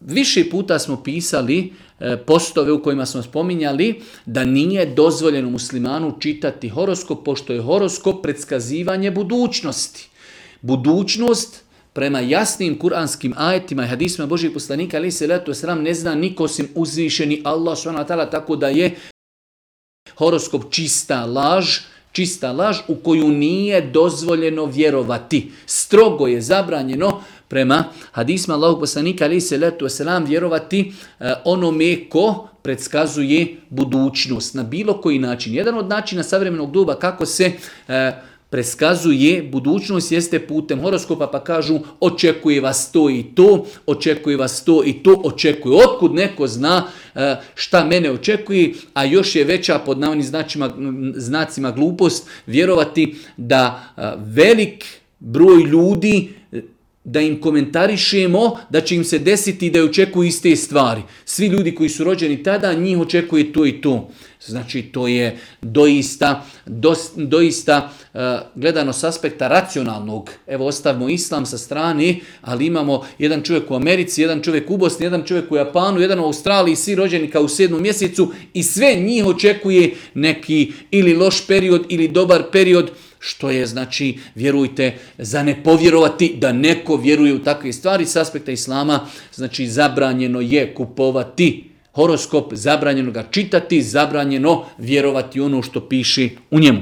Više puta smo pisali postove u kojima smo spominjali da nije dozvoljeno muslimanu čitati horoskop, pošto je horoskop predskazivanje budućnosti. Budućnost prema jasnim kuranskim ajetima i hadisima Božih poslanika alejhi selatu vesselam ne zna niko osim uzvišeni Allah subhanahu wa ta'ala, tako da je horoskop čista laž u koju nije dozvoljeno vjerovati. Strogo je zabranjeno prema hadisima Allahog poslanika alejhi selatu vesselam vjerovati onome ko predskazuje budućnost na bilo koji način. Jedan od načina savremenog doba kako se preskazuje budućnost jeste putem horoskopa, pa kažu očekuje vas to i to, očekuje vas to i to, očekuje. Otkud neko zna šta mene očekuje, a još je veća pod navodnim znacima glupost vjerovati da velik broj ljudi da im komentarišemo da će im se desiti da očekuju iste stvari. Svi ljudi koji su rođeni tada, njih očekuje to i to. Znači, to je doista gledano s aspekta racionalnog. Evo, ostavimo islam sa strane, ali imamo jedan čovjek u Americi, jedan čovjek u Bosni, jedan čovjek u Japanu, jedan u Australiji, svi rođeni kao u 7. mjesecu i sve njih očekuje neki ili loš period ili dobar period, što je, znači, vjerujte, za ne povjerovati da neko vjeruje u takve stvari s aspekta islama. Znači, zabranjeno je kupovati horoskop, zabranjeno ga čitati, zabranjeno vjerovati ono što piše u njemu.